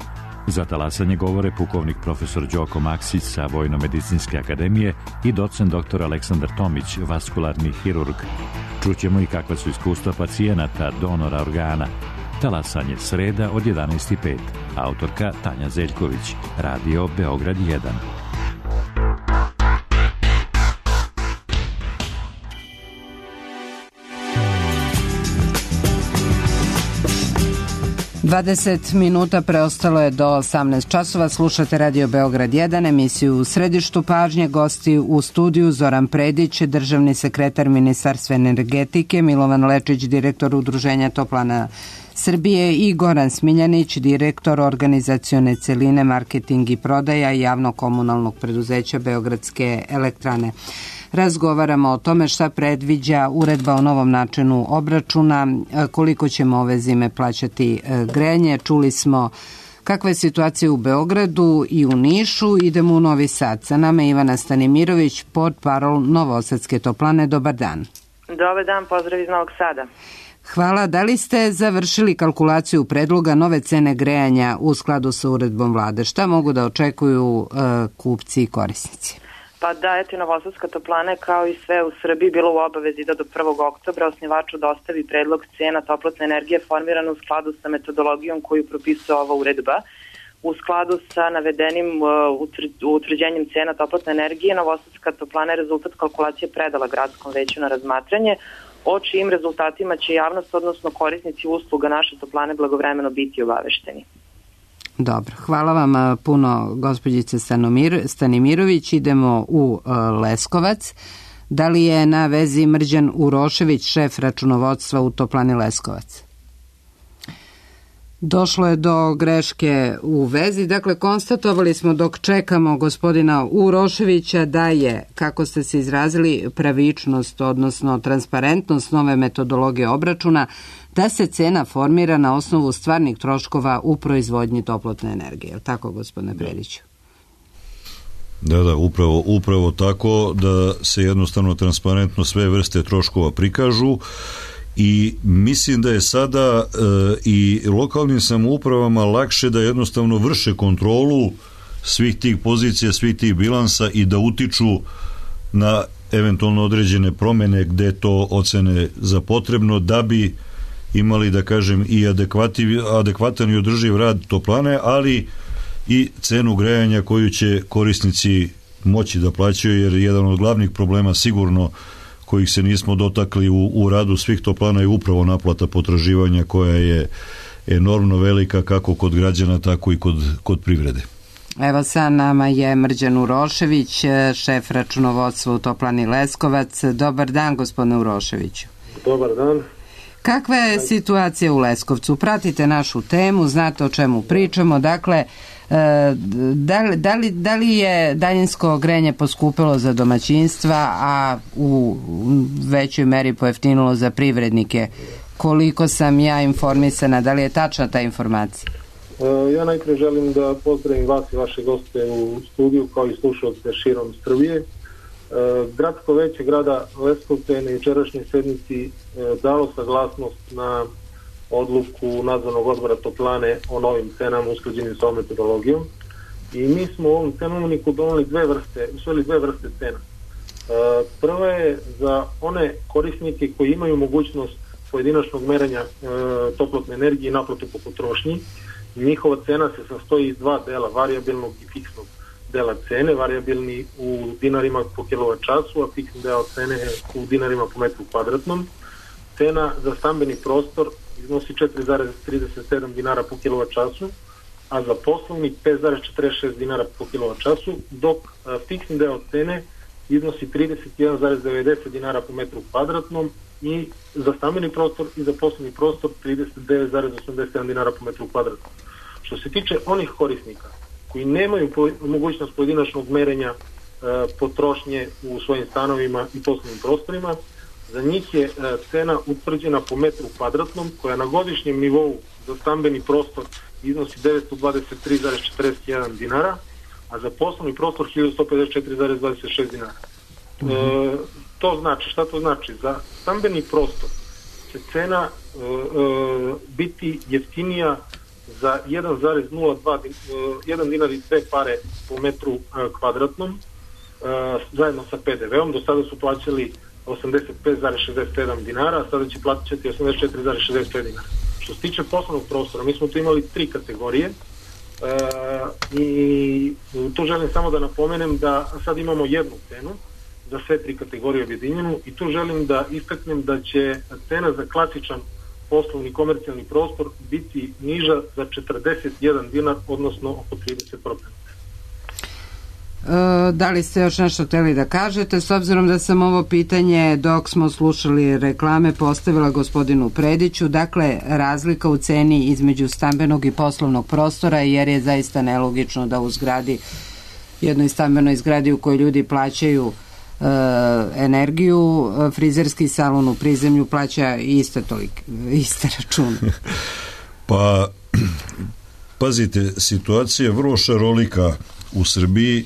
Za talasanje govore pukovnik profesor Đoko Maksić sa Vojno-medicinske akademije i docent dr. Aleksandar Tomić, vaskularni hirurg. Čućemo i kakva su iskustva pacijenata, donora organa. Talasanje, sreda od 11:05. Autorka Tanja Zeljković. Radio Beograd 1. 20 minuta preostalo je do 18 časova. Slušate Radio Beograd 1, emisiju u središtu pažnje. Gosti u studiju Zoran Predić, državni sekretar Ministarstva energetike, Milovan Lečić, direktor Udruženja Toplana Srbije i Goran Smiljanić, direktor organizacione celine, marketing i prodaja javno-komunalnog preduzeća Beogradske elektrane. Razgovaramo o tome šta predviđa uredba o novom načinu obračuna, koliko ćemo ove zime plaćati grejanje. Čuli smo kakva je situacija u Beogradu i u Nišu. Idemo u Novi Sad. Sa nama je Ivana Stanimirović, portparol Novosadske toplane. Dobar dan. Dobar dan, pozdrav iz Novog Sada. Hvala. Da li ste završili kalkulaciju predloga nove cene grejanja u skladu sa uredbom vlade? Šta mogu da očekuju kupci i korisnici? Pa da, eto, Novosadska toplana kao i sve u Srbiji bilo u obavezi da do 1. oktobra osnivaču dostavi predlog cena toplotne energije formirano u skladu sa metodologijom koju propisuje ova uredba. U skladu sa navedenim utvrđenjem cena toplotne energije, Novosadska toplana je rezultat kalkulacije predala gradskom veću na razmatranje, o čijim rezultatima će javnost, odnosno korisnici usluga naše toplane blagovremeno biti obavešteni. Dobro, hvala vam puno, gospođice Stanimirović. Idemo u Leskovac. Da li je na vezi Mrđan Urošević, šef računovodstva u toplani Leskovac? Došlo je do greške u vezi. Dakle, konstatovali smo dok čekamo gospodina Uroševića da je, kako ste se izrazili, pravičnost, odnosno transparentnost nove metodologije obračuna, da se cena formira na osnovu stvarnih troškova u proizvodnji toplotne energije. Je tako, gospodine Prediću? Da, upravo tako, da se jednostavno transparentno sve vrste troškova prikažu. I mislim da je sada i lokalnim samoupravama lakše da jednostavno vrše kontrolu svih tih pozicija, svih tih bilansa i da utiču na eventualno određene promjene gde to ocene za potrebno, da bi imali, da kažem, i adekvatan i održiv rad toplane, ali i cenu grejanja koju će korisnici moći da plaćaju, jer jedan od glavnih problema sigurno kojih se nismo dotakli u radu svih toplana je upravo naplata potraživanja, koja je enormno velika kako kod građana, tako i kod privrede. Evo sa nama je Mrđan Urošević, šef računovodstva u Toplani Leskovac. Dobar dan, gospodine Uroševiću. Dobar dan. Kakva je situacija u Leskovcu? Pratite našu temu, znate o čemu pričamo. Dakle, da li je daljinsko grejanje poskupilo za domaćinstva, a u većoj meri pojeftinilo za privrednike? Koliko sam ja informisana, da li je tačna ta informacija? Ja najprije želim da pozdravim vas i vaše goste u studiju, kao i slušalce širom Srbije. Gradsko veće grada Leskovca je na jučerašnjoj sednici dalo saglasnost na odluku nadzornog odbora toplane o novim cenama usklađenim sa ovom metodologijom, i mi smo u ovom cenovniku doneli dve vrste cena. Prva je za one korisnike koji imaju mogućnost pojedinačnog merenja toplotne energije i naplatu po potrošnji. Njihova cena se sastoji iz dva dela, varijabilnog i fiksnog dela cene. Varijabilni u dinarima po kilovat času, a fiksni deo cene u dinarima po metru kvadratnom. Cena za stambeni prostor iznosi 4,37 dinara po kilovat času, a za poslovni 5,46 dinara po kilovat času, dok fiksni deo cene iznosi 31,90 dinara po metru kvadratnom i za stambeni prostor i za poslovni prostor 39,87 dinara po metru kvadratnom. Što se tiče onih korisnika koji nemaju mogućnost pojedinačnog merenja potrošnje u svojim stanovima i poslovnim prostorima, za njih je cena utvrđena po metru kvadratnom, koja na godišnjem nivou za stambeni prostor iznosi 923,41 dinara, a za poslovni prostor 1154,26 dinara. To znači, šta to znači? Za stambeni prostor će cena biti jeftinija za 1,1 dinar i 2 pare po metru kvadratnom, zajedno sa PDV-om. Do sada su plaćali 85,67 dinara, a sada će plaćati 84,65 dinara. Što se tiče poslovnog prostora, mi smo tu imali 3 kategorije i tu želim samo da napomenem da sad imamo jednu cenu za sve 3 kategorije objedinjenu, i tu želim da istaknem da će cena za klasičan poslovni komercijalni prostor biti niža za 41 dinar, odnosno oko 30%. Da li ste još nešto hteli da kažete, s obzirom da sam ovo pitanje dok smo slušali reklame postavila gospodinu Prediću? Dakle, razlika u ceni između stambenog i poslovnog prostora, jer je zaista nelogično da u zgradi, jednoj stambenoj zgradi u kojoj ljudi plaćaju energiju, frizerski salon u prizemlju plaća iste račune. Pa pazite, situacija je vrlo šarolika u Srbiji.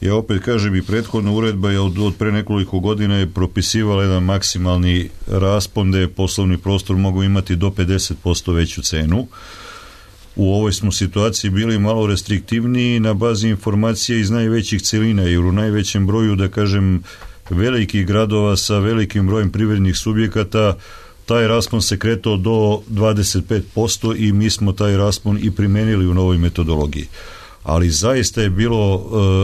Ja opet kažem, i prethodna uredba je od pre nekoliko godina je propisivala jedan maksimalni raspon da je poslovni prostor mogu imati do 50% veću cenu. U ovoj smo situaciji bili malo restriktivniji na bazi informacija iz najvećih celina, jer u najvećem broju, da kažem, velikih gradova sa velikim brojem privrednih subjekata taj raspon se kretao do 25% i mi smo taj raspon i primenili u novoj metodologiji. Ali zaista je bilo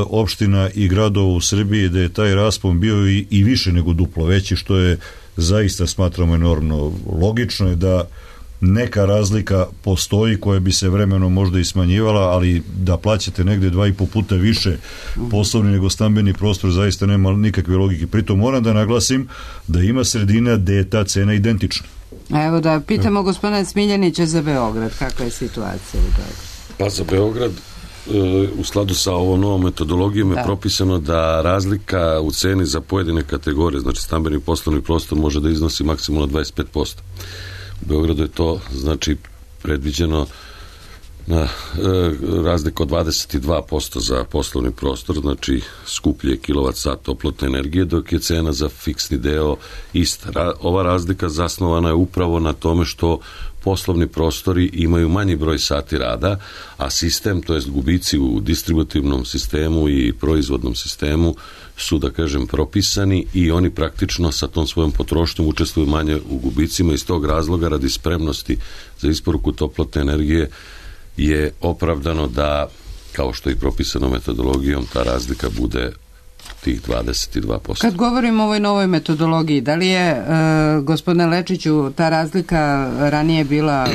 opština i gradova u Srbiji da je taj raspon bio i više nego duplo veći, što je zaista, smatramo, enormno. Logično je da neka razlika postoji koja bi se vremenom možda i smanjivala, ali da plaćate negde 2,5 puta više poslovni nego stambeni prostor zaista nema nikakve logike. Pritom moram da naglasim da ima sredina gde je ta cena identična. Evo da pitamo gospodina Smiljanića za Beograd, kakva je situacija u Beogradu? Pa za Beograd u skladu sa ovom novom metodologijom je propisano da razlika u ceni za pojedine kategorije, znači stambeni poslovni prostor, može da iznosi maksimalno 25%. U Beogradu je to znači predviđeno na razliku od 22% za poslovni prostor, znači skuplje kilovat-sat toplotne energije, dok je cena za fiksni deo ista. Ova razlika zasnovana je upravo na tome što poslovni prostori imaju manji broj sati rada, a sistem, to jest gubici u distributivnom sistemu i proizvodnom sistemu su, da kažem, propisani i oni praktično sa tom svojom potrošnjom učestvuju manje u gubicima. Iz tog razloga, radi spremnosti za isporuku toplotne energije, je opravdano da, kao što je i propisano metodologijom, ta razlika bude tih 22%. Kad govorimo o ovoj novoj metodologiji, da li je, gospodine Lečiću, ta razlika ranije bila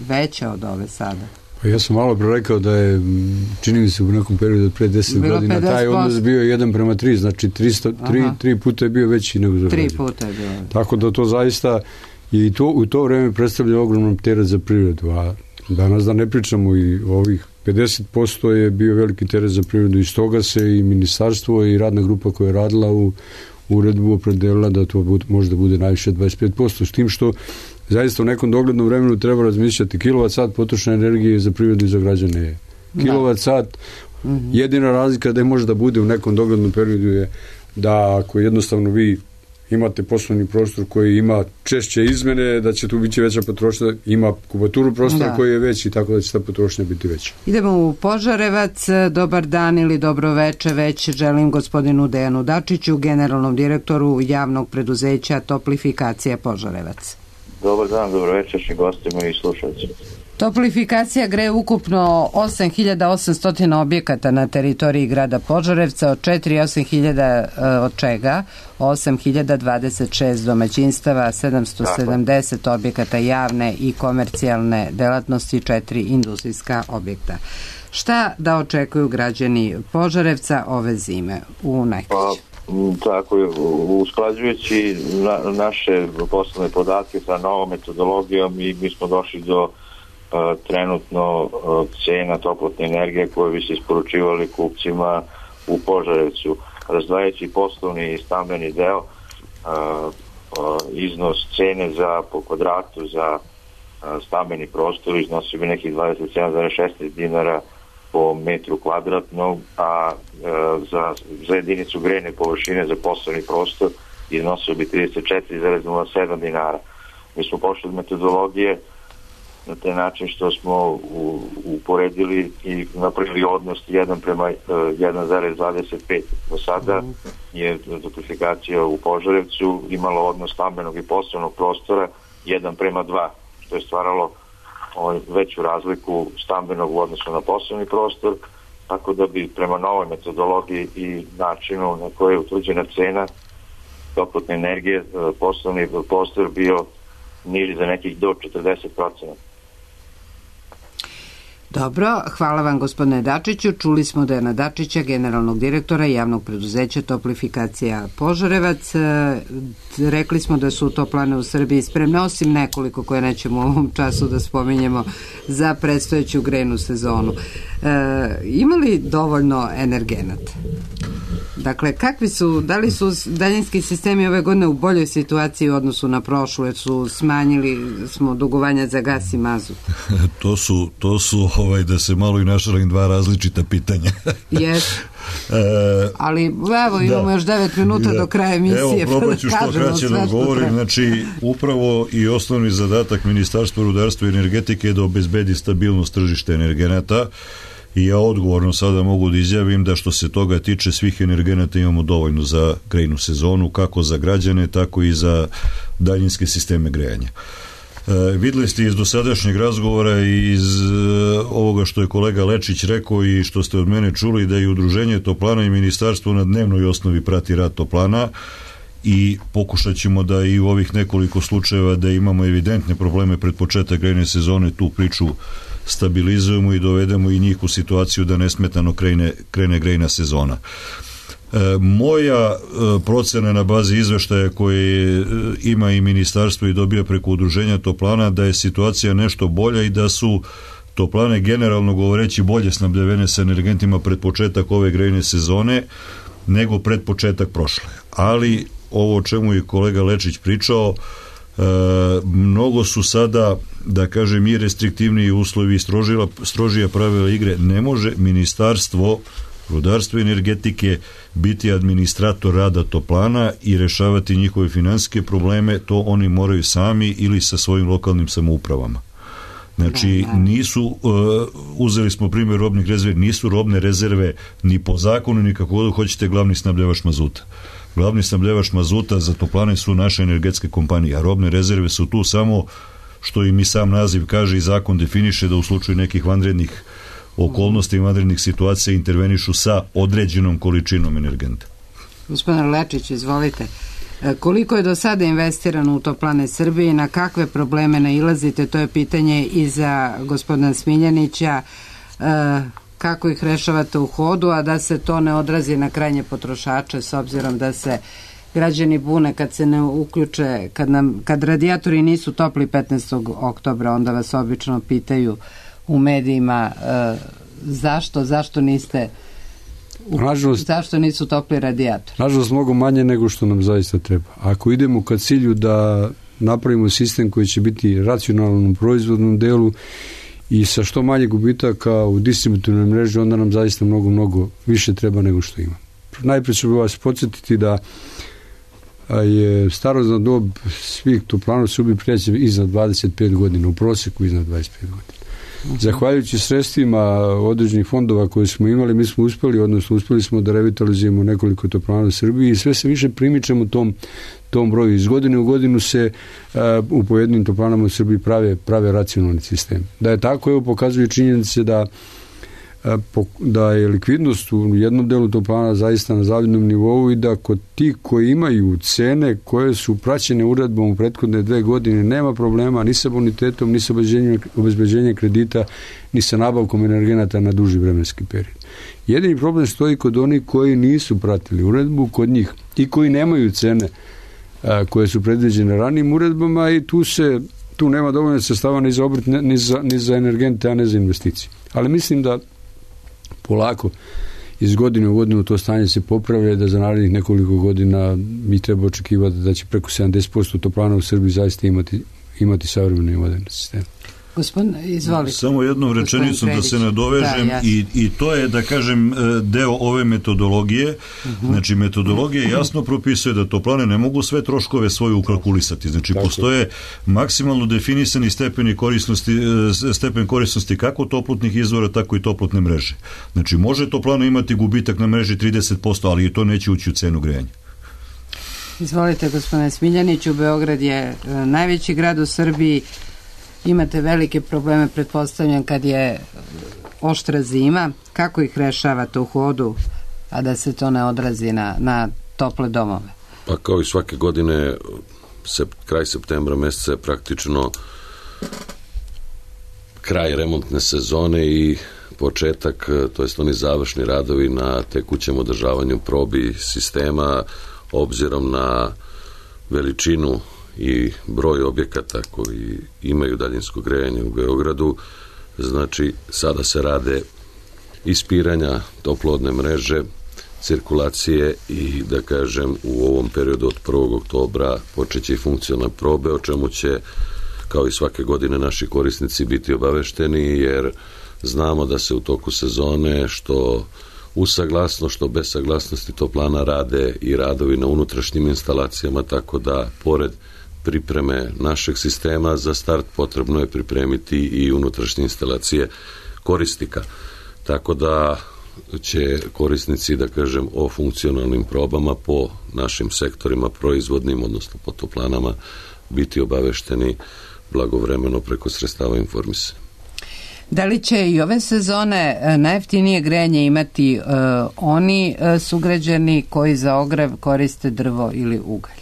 veća od ove sada? Pa ja sam malo pre rekao da je, čini mi se u nekom periodu od pre 10 godina 50%. Taj odnos bio 1:3, znači 3 puta je bio veći nego za 3 puta je bio. Tako da to zaista i to u to vreme predstavlja ogromnom teret za privredu, a danas da ne pričamo i ovih 50% je bio veliki teret za privredu i stoga se i ministarstvo i radna grupa koja je radila u uredbu opredelila da to može da bude najviše 25%, s tim što zaista u nekom doglednom vremenu treba razmišljati kilovat-sat potrošne energije za privredu i za građane je. Kilovat-sat, jedina razlika da može da bude u nekom doglednom periodu je da ako jednostavno vi imate poslovni prostor koji ima češće izmene, da će tu biti veća potrošnja, ima kubaturu prostora koji je veći, tako da će ta potrošnja biti veća. Idemo u Požarevac. Dobar dan ili dobro veče već želim gospodinu Dejanu Dačiću, generalnom direktoru javnog preduzeća Toplifikacija Požarevac. Dobar dan, dobro večer gostima i slušalcima. Toplifikacija greje ukupno 8.800 objekata na teritoriji grada Požarevca, od 8.000 od čega 8.026 domaćinstava, 770 objekata javne i komercijalne delatnosti, 4 industrijska objekta. Šta da očekuju građani Požarevca ove zime u Najkriću? Tako je, usklađujući naše poslovne podatke sa novom metodologijom i mi smo došli do trenutno cena toplotne energije koje bi se isporučivali kupcima u Požarevcu. Razdvajajući poslovni i stambeni deo, iznos cene po kvadratu za stambeni prostor iznosi bi nekih 27,16 dinara po metru kvadratnog, a za jedinicu grejne površine za poslovni prostor iznosio bi 34,07 dinara. Mi smo pošli od metodologije na taj način što smo uporedili i napravili odnos 1:1,25. Do sada je Toplifikacija u Požarevcu imala odnos stambenog i poslovnog prostora 1:2, što je stvaralo veću razliku stambenog u odnosu na poslovni prostor, tako da bi prema novoj metodologiji i načinu na koje je utvrđena cena toplotne energije poslovni prostor bio niži za nekih do 40%. Dobro, hvala vam gospodine Dačiću. Čuli smo Dejana Dačića, generalnog direktora javnog preduzeća Toplifikacija Požarevac. Rekli smo da su toplane u Srbiji spremne, osim nekoliko koje nećemo u ovom času da spominjemo, za predstojeću grejnu sezonu. Ima li dovoljno energenata? Dakle, da li su daljinski sistemi ove godine u boljoj situaciji u odnosu na prošlu, jer su smanjili smo dugovanja za gas i mazut? To su da se malo i našalim dva različita pitanja. Yes. Ali evo imamo još 9 minuta do kraja emisije. Evo, probat ću što kraće da govorim. Znači, upravo i osnovni zadatak Ministarstva rudarstva i energetike je da obezbedi stabilnost tržišta energenata. I ja odgovorno sada mogu da izjavim da što se toga tiče svih energenata imamo dovoljno za grejnu sezonu, kako za građane, tako i za daljinske sisteme grejanja. Videli ste iz dosadašnjeg razgovora i iz ovoga što je kolega Lečić rekao i što ste od mene čuli, da i Udruženje toplana i Ministarstvo na dnevnoj osnovi prati rad toplana i pokušat ćemo da i u ovih nekoliko slučajeva da imamo evidentne probleme pred početak grejne sezone tu priču stabilizujemo i dovedemo i njih u situaciju da nesmetano krene grejna sezona. Moja procena na bazi izveštaja koje ima i ministarstvo i dobija preko udruženja toplana da je situacija nešto bolja i da su toplane generalno govoreći bolje snabdevene sa energentima pred početak ove grejne sezone nego pred početak prošle. Ali ovo o čemu je kolega Lečić pričao, mnogo su sada, da kažem, i restriktivniji uslovi i strožija pravila igre. Ne može ministarstvo rudarstva i energetike biti administrator rada toplana i rešavati njihove finansijske probleme, to oni moraju sami ili sa svojim lokalnim samoupravama. Znači, nisu, uzeli smo primjer robnih rezervi, nisu robne rezerve ni po zakonu, ni kako god hoćete glavni snabdevač mazuta. Glavni snabdevač mazuta za toplane su naše energetske kompanije, a robne rezerve su tu samo, što im i sam naziv kaže i zakon definiše, da u slučaju nekih vanrednih okolnosti i vanrednih situacija intervenišu sa određenom količinom energenta. Gospodin Lečić, izvolite. Koliko je do sada investirano u Toplane Srbije i na kakve probleme nailazite? To je pitanje i za gospodina Smiljanića. Kako ih rešavate u hodu, a da se to ne odrazi na krajnje potrošače, s obzirom da se građani bune kad se ne uključe, kad radijatori nisu topli 15. oktobra, onda vas obično pitaju u medijima zašto niste zašto nisu topli radijatori. Nažalost, mnogo manje nego što nam zaista treba. Ako idemo ka cilju da napravimo sistem koji će biti racionalan u proizvodnom delu i sa što manje gubitaka u distributivnoj mreži, onda nam zaista mnogo više treba nego što ima. Najprije ću vas podsjetiti da je starosna dob svih toplana u Srbiji pređe iznad 25 godina, u proseku iznad 25 godina. Zahvaljujući sredstvima određenih fondova koje smo imali, mi smo uspeli smo da revitalizujemo nekoliko toplana u Srbiji i sve se više primičemo tom broju. Iz godine u godinu se u pojedinim toplanama u Srbiji prave racionalni sistem. Da je tako, evo pokazuje činjenice da je likvidnost u jednom delu toplana zaista na zavidnom nivou i da kod ti koji imaju cene koje su praćene uredbom u prethodne 2 godine nema problema ni sa bonitetom, ni sa obezbeđenjem kredita, ni sa nabavkom energenata na duži vremenski period. Jedini problem stoji kod onih koji nisu pratili uredbu, kod njih i koji nemaju cene koje su predviđene ranijim uredbama i tu nema dovoljno sredstava ni za obrt, ni za energente, a ne za investicije. Ali mislim da polako iz godine u godinu to stanje se popravlja, da za narednih nekoliko godina mi treba očekivati da će preko 70% toplana u Srbiji zaista imati savremeni i moderni sistem. Gospodin, izvolite. Samo jednom rečenicom da se nadovežem i to je, da kažem, deo ove metodologije. Znači, metodologija jasno propisuje da toplane ne mogu sve troškove svoje ukalkulisati. Znači, postoje maksimalno definisani stepen korisnosti kako toplotnih izvora, tako i toplotne mreže. Znači, može toplana imati gubitak na mreži 30%, ali i to neće ući u cenu grejanja. Izvolite, gospodine Smiljaniću, Beograd je najveći grad u Srbiji. Imate velike probleme, pretpostavljam, kad je oštra zima. Kako ih rešavate u hodu, a da se to ne odrazi na tople domove? Pa kao i svake godine, kraj septembra meseca je praktično kraj remontne sezone i početak, to jest oni završni radovi na tekućem održavanju probi sistema, obzirom na veličinu i broj objekata koji imaju daljinsko grejanje u Beogradu. Znači, sada se rade ispiranja toplodne mreže, cirkulacije i, da kažem, u ovom periodu od 1. oktobra počeće i funkcionalne probe, o čemu će, kao i svake godine, naši korisnici biti obavešteni, jer znamo da se u toku sezone, što uz saglasnost, što bez saglasnosti toplana, rade i radovi na unutrašnjim instalacijama, tako da, pored pripreme našeg sistema za start, potrebno je pripremiti i unutrašnje instalacije korisnika. Tako da će korisnici, da kažem, o funkcionalnim probama po našim sektorima proizvodnim, odnosno po toplanama, biti obavešteni blagovremeno preko sredstava informisanja. Da li će i ove sezone najjeftinije grejanje imati oni sugrađani koji za ogrev koriste drvo ili ugalj?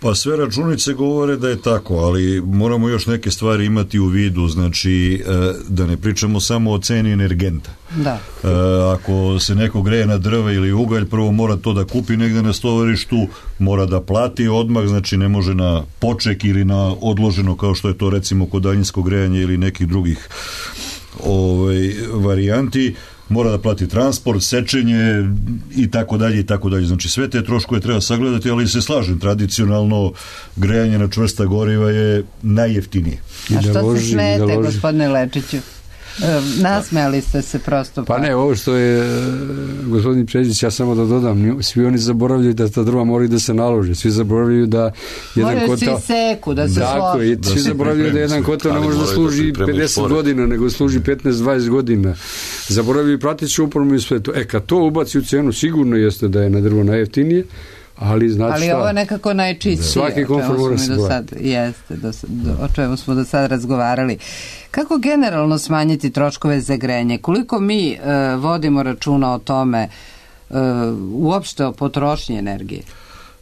Pa sve računice govore da je tako, ali moramo još neke stvari imati u vidu, znači da ne pričamo samo o ceni energenta. Da. Ako se neko greje na drva ili ugalj, prvo mora to da kupi negde na stovarištu, mora da plati odmah, znači ne može na poček ili na odloženo, kao što je to recimo kod daljinskog grejanja ili nekih drugih varijanti. Mora da plati transport, sečenje i tako dalje i tako dalje. Znači sve te troškove treba sagledati, ali se slažem, tradicionalno grejanje na čvrsta goriva je najjeftinije. A što se smete, gospodine Lečiću? Nasmejali ste se prosto. Pa ne, ovo što je gospodin Čeđić, ja samo da dodam, svi oni zaboravljaju da ta drva moraju da se nalože, svi zaboravljaju da jedan moraju kotao... Moraju svi seku, da se složi. Svi zaboravljaju da jedan kotao ne može da služi 50 godina, nego služi 15-20 godina. Zaboravljaju prateću upornu i sve to. Kad to ubaci u cenu, sigurno jeste da je na drvo najjeftinije, ali znači ali ovo je nekako najčistije. Svaki komfor mora se o čemu smo do sad razgovarali. Kako generalno smanjiti troškove za grejanje? Koliko mi vodimo računa o tome, uopšte o potrošnji energije?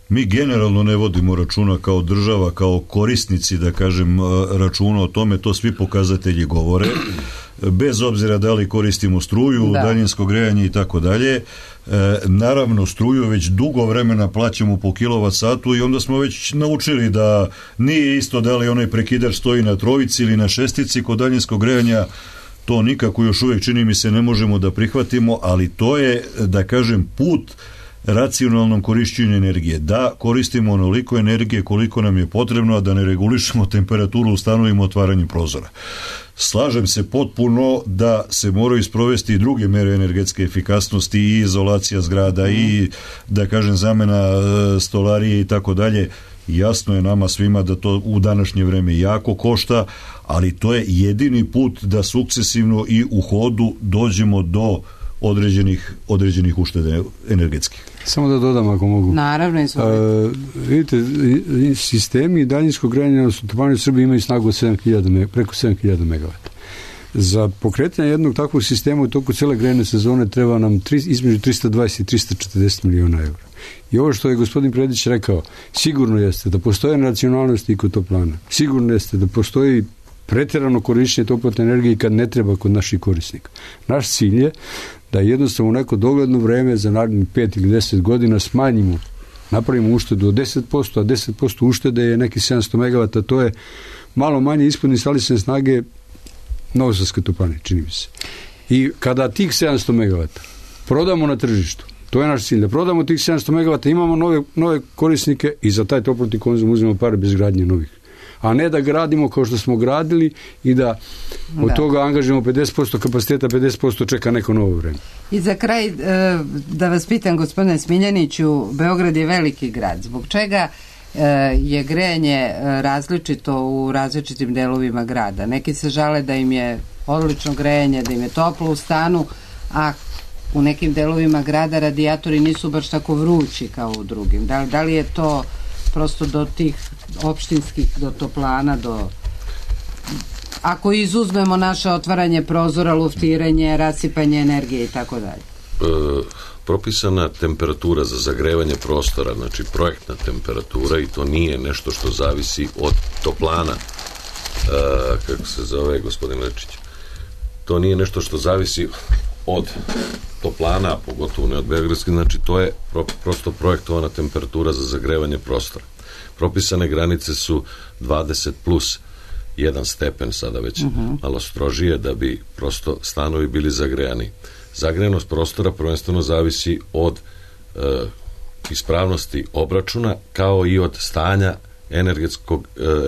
Mi generalno ne vodimo računa kao država, kao korisnici, da kažem, računa o tome, to svi pokazatelji govore, bez obzira da li koristimo struju, daljinsko grejanje i tako dalje. Naravno, struju već dugo vremena plaćamo po kilovat satu i onda smo već naučili da nije isto da li onaj prekidač stoji na trojici ili na šestici. Kod daljinskog grejanja to nikako još uvijek, čini mi se, ne možemo da prihvatimo, ali to je, da kažem, put racionalnom korišćenju energije. Da koristimo onoliko energije koliko nam je potrebno, a da ne regulišemo temperaturu u stanovima otvaranjem prozora. Slažem se potpuno da se moraju isprovesti i druge mere energetske efikasnosti i izolacija zgrada i, da kažem, zamena stolarije i tako dalje. Jasno je nama svima da to u današnje vreme jako košta, ali to je jedini put da sukcesivno i u hodu dođemo do određenih uštede energetskih. Samo da dodam ako mogu. Naravno, vidite, sistemi daljinskog grejanja u Srbiji imaju snagu od preko 7000 MW. Za pokretanje jednog takvog sistema u toku cele grejne sezone treba nam između 320 i 340 miliona evra. I ovo što je gospodin Predić rekao, sigurno jeste da postoje racionalnosti i kod toplana. Sigurno jeste da postoji pretjerano korištenje toplotne energije kad ne treba kod naših korisnika. Naš cilj je da jednostavno u neko dogledno vreme za narednih 5 ili 10 godina smanjimo, napravimo uštedu od 10%, a 10% uštede je neki 700 MW, to je malo manje ispod instalisane snage Novosadske toplane, čini mi se. I kada tih 700 MW prodamo na tržištu, to je naš cilj, da prodamo tih 700 MW, imamo nove korisnike i za taj toplotni konzum uzmemo pare bez gradnje novih. A ne da gradimo kao što smo gradili i da od toga angažujemo 50% kapaciteta, 50% čeka neko novo vreme. I za kraj, da vas pitam, gospodine Smiljaniću, Beograd je veliki grad. Zbog čega je grejanje različito u različitim delovima grada? Neki se žale da im je odlično grejanje, da im je toplo u stanu, a u nekim delovima grada radijatori nisu baš tako vrući kao u drugim. Da li je to prosto do tih opštinskih, do toplana, ako izuzmemo naše otvaranje prozora, luftiranje, rasipanje energije i tako dalje? Propisana temperatura za zagrevanje prostora, znači projektna temperatura, i to nije nešto što zavisi od toplana, kako se zove gospodin Lečić, to nije nešto što zavisi od toplana, pogotovo ne od beogradskih, znači to je prosto projektovana temperatura za zagrevanje prostora. Propisane granice su 20 plus 1 stepen, sada već malo strožije, da bi prosto stanovi bili zagrejani. Zagrejanost prostora prvenstveno zavisi od ispravnosti obračuna, kao i od stanja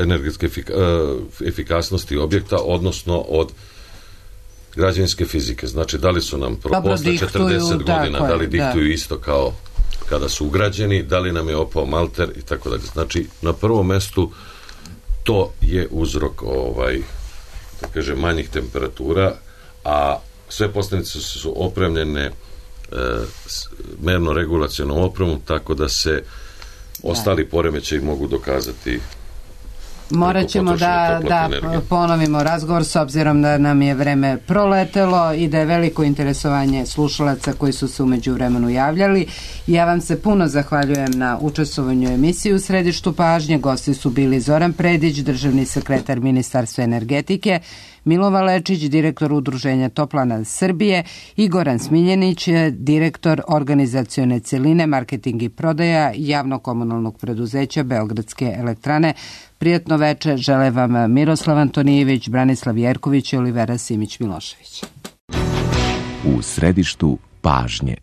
energetske efikasnosti objekta, odnosno od građevinske fizike. Znači, da li su nam posle 40 godina, da li diktuju isto kao kada su ugrađeni, da li nam je opao malter i tako dalje. Znači, na prvom mestu to je uzrok da kažem, manjih temperatura, a sve postavnice su opremljene merno-regulacionom opremom, tako da se ostali poremećaji mogu dokazati Morat ćemo da ponovimo razgovor s obzirom da nam je vreme proletelo i da je veliko interesovanje slušalaca koji su se umeđu vremenu javljali. Ja vam se puno zahvaljujem na učestvovanju u emisiji U središtu pažnje. Gosti su bili Zoran Predić, državni sekretar Ministarstva energetike, Milova Lečić, direktor Udruženja Toplana Srbije i Goran Smiljenić, direktor organizacione celine, marketing i prodaja javno-komunalnog preduzeća Beogradske elektrane. Prijatno veče žele vam Miroslav Antonijević, Branislav Jerković i Olivera Simić-Milošević. U središtu pažnje.